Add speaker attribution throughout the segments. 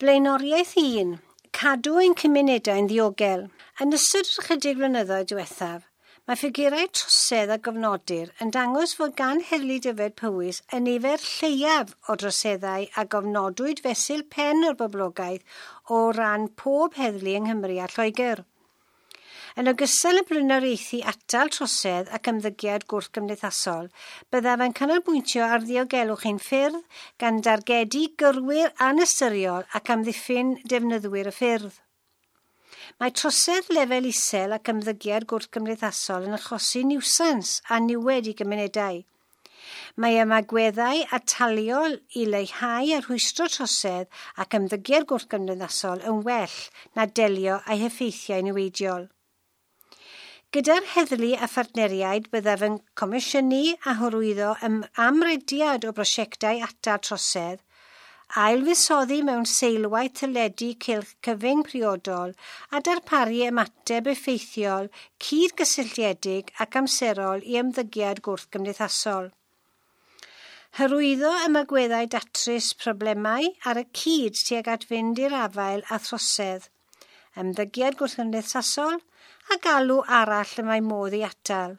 Speaker 1: Blaenoriaeth 1. Cadw ein cymunedau'n ddiogel. Yn ystod yr ychydig flynyddoedd diwethaf, mae ffigurau trosedd a gofnodir yn dangos fod gan Heddlu Dyfed Powys y nifer lleiaf o droseddau a gofnodwyd fesul pen o'r boblogaeth o ran pob heddlu yng Nghymru a Lloegr. Yn ogystal â blaenoriaethu atal trosedd ac ymddygiad gwrthgymdeithasol, byddaf yn canolbwyntio ar ddiogelwch ein ffyrdd gan dargedu gyrwyr anystyriol ac amddiffyn defnyddwyr y ffyrdd. Mae trosedd lefel isel ac ymddygiad gwrthgymdeithasol yn achosi niwsans a niwed i gymunedau. Mae ymagweddau ataliol i leihau a rhwystro trosedd ac ymddygiad gwrthgymdeithasol yn well na delio â'i heffeithiau niweidiol. Gyda'r heddlu a phartneriaid byddaf yn comisiynu a hyrwyddo amrediad o brosiectau atal trosedd, ailfuddsoddi mewn seilwaith teledu cylch cyfyng priodol a darparu ymateb effeithiol, cydgysylltiedig ac amserol i ymddygiad gwrthgymdeithasol. Hyrwyddo ymagweddau datrys problemau ar y cyd tuag at fynd i'r afael â throsedd, ymddygiad gwrthgymdeithasol a galw arall y mae modd ei atal.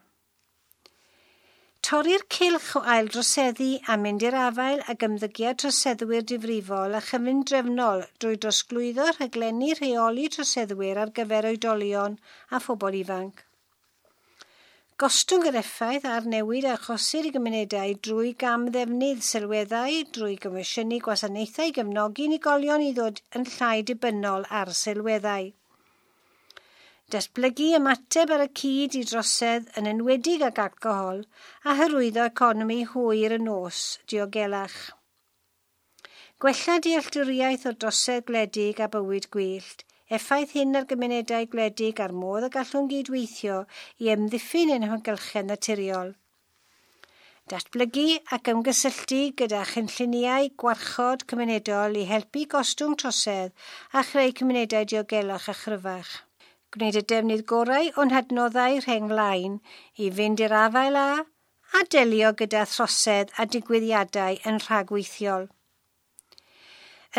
Speaker 1: Torri'r cylch o aildroseddu a mynd i'r afael ag ymddygiad troseddwyr difrifol a chyfundrefnol drwy drosglwyddo rhaglenni rheoli troseddwyr ar gyfer oedolion a phobl ifanc. Gostwng yr effaith ar newid a achosir i gymunedau drwy gamddefnydd sylweddau, drwy gomisiynu gwasanaethau i gefnogi unigolion i ddod yn llai dibynnol ar sylweddau. Datblygu ymateb ar y cyd i drosedd yn enwedig ag alcohol a hyrwyddo economi hwyr y nos diogelach. Gwella dealltwriaeth o drosedd gwledig a bywyd gwyllt, effaith hyn ar gymunedau gwledig a'r modd y gallwn gydweithio i ymddiffyn ein hamgylchedd naturiol. Datblygu ac ymgysylltu gyda chynlluniau gwarchod cymunedol i helpu gostwng trosedd a chreu cymunedau diogelach a chryfach. Gwneud y defnydd gorau o'n hadnoddau rheng flaen i fynd i'r afael â a delio gyda throsedd a digwyddiadau yn rhagweithiol.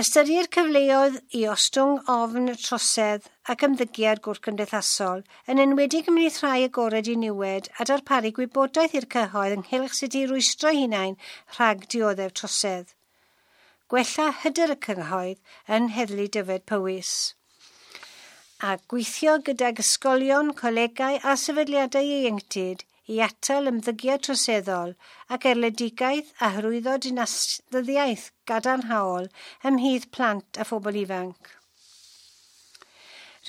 Speaker 1: Ystyried cyfleoedd i ostwng ofn trosedd ac ymddygiad gwrthgymdeithasol, yn enwedig ymhlith rhai agored i niwed a darparu gwybodaeth i'r cyhoedd ynghylch sut i rwystro hunain rhag dioddef trosedd. Gwella hyder y cyhoedd yn Heddlu Dyfed Powys. A gweithio gydag ysgolion, colegau a sefydliadau ieuenctid i atal ymddygiad troseddol ac erledigaeth a hyrwyddo dinasyddiaeth gadarnhaol ymhlith plant a phobl ifanc.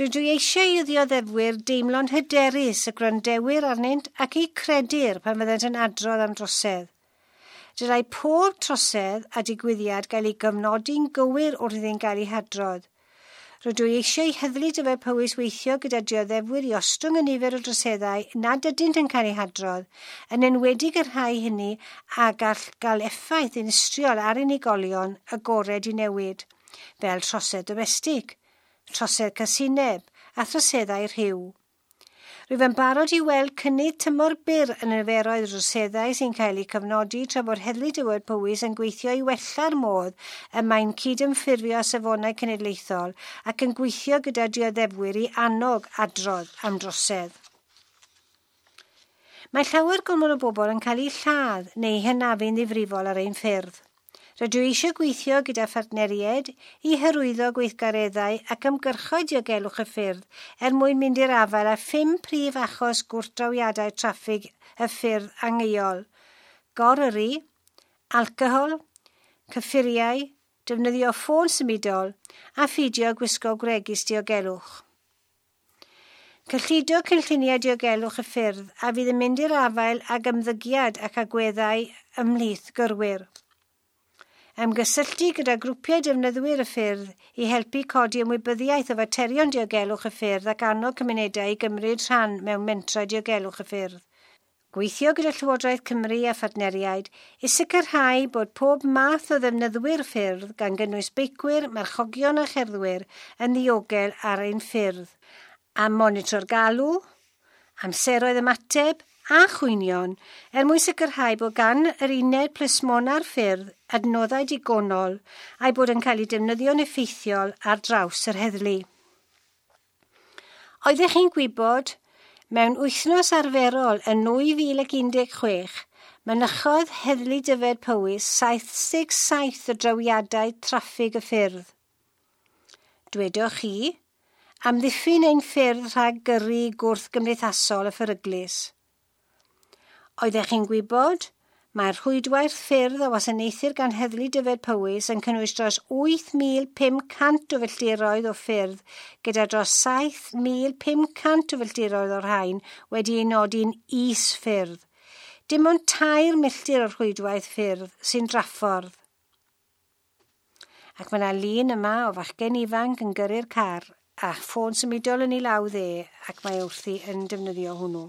Speaker 1: Rydw i eisiau i ddioddefwyr deimlo'n hyderus y gwrandewyr arnynt ac eu credir pan fyddant yn adrodd am drosedd. Dylai pob trosedd a digwyddiad gael ei gofnodi'n gywir wrth iddynt gael eu hadrodd. Rydw i eisiau i Heddlu Dyfed Powys weithio gyda dioddefwyr i ostwng y nifer o droseddau nad ydynt yn cael eu hadrodd, yn enwedig y rhai hynny a gall gael effaith dinistriol ar unigolion agored i newid, fel trosedd domestig, trosedd casineb a throseddau rhyw. Rwyf yn barod i weld cynnydd tymor byr yn y niferoedd o droseddau sy'n cael eu cofnodi tra bod Heddlu Dyfed Powys yn gweithio i wella'r modd y mae'n cydymffurfio â safonau cenedlaethol ac yn gweithio gyda dioddefwyr i annog adrodd am drosedd. Mae llawer gormod o bobl yn cael eu lladd neu hynafu'n ddifrifol ar ein ffyrdd. Rydw i eisiau gweithio gyda phartneriaid i hyrwyddo gweithgareddau ac ymgyrchoedd diogelwch y ffyrdd er mwyn mynd i'r afael â 5 prif achos gwrthdrawiadau traffig y ffyrdd angheuol: goryrru, alcohol, cyffuriau, defnyddio ffôn symudol a pheidio gwisgo gwregys diogelwch. Cyllido cynlluniau diogelwch y ffyrdd a fydd yn mynd i'r afael ag ymddygiad ac agweddau ymhlith gyrwyr. Ymgysylltu gyda grwpiau defnyddwyr y ffyrdd i helpu codi ymwybyddiaeth o faterion diogelwch y ffyrdd ac annog cymunedau i gymryd rhan mewn mentrau diogelwch y ffyrdd. Gweithio gyda Llywodraeth Cymru a phartneriaid i sicrhau bod pob math o ddefnyddwyr ffyrdd gan gynnwys beicwyr, marchogion a cherddwyr yn ddiogel ar ein ffyrdd, a monitro'r galw, amseroedd ymateb a chwynion er mwyn sicrhau bod gan yr uned plismona'r ffyrdd adnoddau digonol a'i bod yn cael ei defnyddio'n effeithiol ar draws yr heddlu. Oeddech chi'n gwybod, mewn wythnos arferol yn 2016, mynychodd Heddlu Dyfed Powys 77 o drawiadau traffig y ffyrdd. Dwedwch chi, amddiffyn ein ffyrdd rhag gyrru gwrth gymdeithasol y pheryglus. Oeddech chi'n gwybod, mae'r rhwydwaith ffyrdd a wasanaethir gan Heddlu Dyfed Powys yn cynnwys dros 8,500 o filltiroedd o ffyrdd, gyda dros 7,500 o filltiroedd o'r rhain wedi ei nodi'n is-ffyrdd. Dim ond 3 milltir o'r rhwydwaith ffyrdd sy'n draffordd. Ac mae yna lun yma o fachgen ifanc yn gyrru'r car a ffôn symudol yn ei law dde ac mae wrthi yn defnyddio hwnnw.